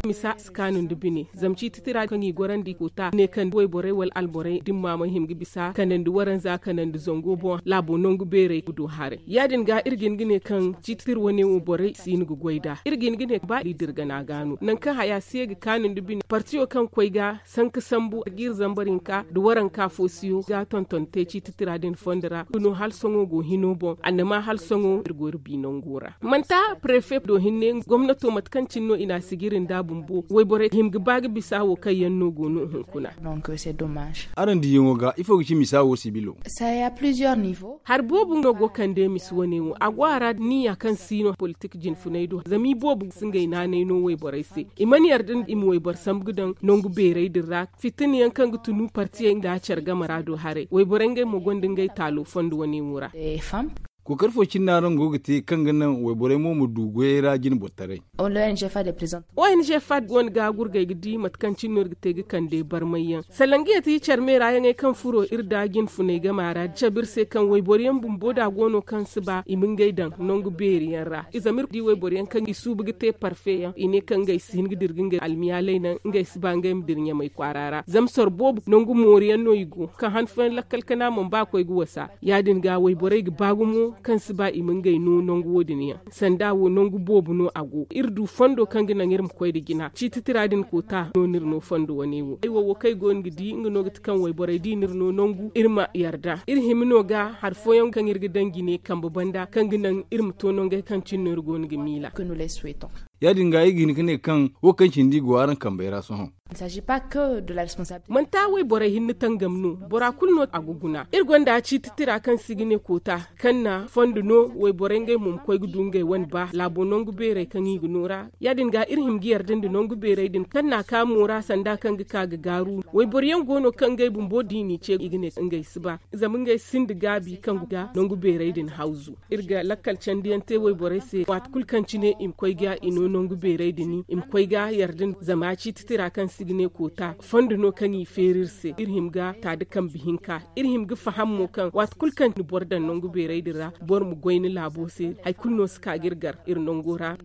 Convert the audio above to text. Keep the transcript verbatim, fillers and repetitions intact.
Misa si kaanu nda bine zama ciiti tira kaŋ i gorandi koota ne kaŋ wayborey wala alborey dimma ma hima ga bisa kanandi waranza kanandi zango boŋ laabo nangu beerey ga du haray. Ya- din ga iri ga hin ga ne kaŋ ciiti tira wane wo borey si hin ga goy nd'a iri ga hin ga ne ba i dirgana ga no nangu kaŋ haya si ye ga kaanu nda bine partiyo kaŋ koy ga sanka sambu ga iri zambar hinka nda waranka fo siyo ga tonton te ciiti tira din fondo ra nga no hala sohõ go hino boŋ annama hala sohõ iri go iri bi nango ra. Manti prefe do hinne gomnato mate kaŋ cine no i na a sijiri nd'a bumbo wayborey hima ga ba ga bisa wo kaŋ yaŋ no go no hunkuna. Araŋ diyaŋo ga ifo ga ci misa wo sibilo? Hari boobo no go kande misa wane wo a go a ra niya kaŋ si no politik jinfunay do zama i boobo si ngey naanay no wayborey se. I mana yarda i ma wayboro sambu ga daŋ nangu beerey din ra fitina yaŋ kaŋ ga tunu partiyey nda care game ra do haray wayborey ngey mo gonda ngey taalo fondo wane wo ra. Kookari fo cine no araŋ go ga te kaŋ ga naŋ wayborey mo ma du goyey ra jine boro taray? Ong fad go no ga gurgay ga di mate kaŋ cine no iri ga te ga kande barmay yaŋ salangiya ti care me ra yaŋey kaŋ furo iri da jinfunay game ra da cabe iri se kaŋ wayboro yaŋ bumbo da go no kaŋ si ba i ma ngey daŋ nangu beeri yaŋ ra i zama iri di wayboro yaŋ kaŋ i suubu ga te parfe yaŋ i ne kaŋ ngey si hin ga dira ga ngey almiyaaley naŋ ngey si ba ngey ma dira ɲamay kwaara ra zama soro boobo nangu moori yaŋ no i go kaŋ han fooyaŋ lakkal kana mana ba koy ga wasa. Ya- din ga wayborey ga ba gumo kaŋ si ba i ma ngey no nangu wo- din yaŋ sanda wo nangu boobo no a go iri du fondo kaŋ ga naŋ iri ma koy nda jina ciiti tira din koota no no iri no fondo wane wo ay wo wo kaŋ ay go no ga di nga no ga ti kaŋ wayborey di no iri no nangu iri ma yarda iri hima no ga hari fooyaŋ kaŋ iri ga daŋ jine kambe banda kaŋ ga naŋ iri ma to nangey kaŋ cine no iri go no ga miila. Ya- din ga ay ga hin ga ne kaŋ wo kaŋ cindi go araŋ kambey ra sohõ. Manti a wayborey hinne tangam no bora kulu no a ga guna iri gonda ciiti tira kaŋ se i ga ne koota kaŋ na fondo no wayborey ngey mo ma koy ga du ngey wane ba laabo nangu beerey kaŋ i ga no ra. Ya- din ga iri hima ga yarda nda nangu beerey din kaŋ na a ka mo ra sanda kaŋ ga ka ga gaaru wayboro yaŋ go no kaŋ ngey bumbo da i n'i ce i ga ne ngey si ba zama ngey sinda gaabi kaŋ ga nangu beerey din hawzu. Iri ga lakkal candiyaŋ te wayborey se waati kulu kaŋ cine i ma koy ga i no nangu beerey din i ma koy ga yarda zama ciiti tira kaŋ se i ga ne koota fondo no kaŋ i feeri iri se iri hima ga ta da kambe hinka iri hima ga faham mo kaŋ waati kulu kaŋ ni boro daŋ nangu beerey din ra boro ma goy ni laabo se hari kulu no si ka ga iri gar iri nango ra.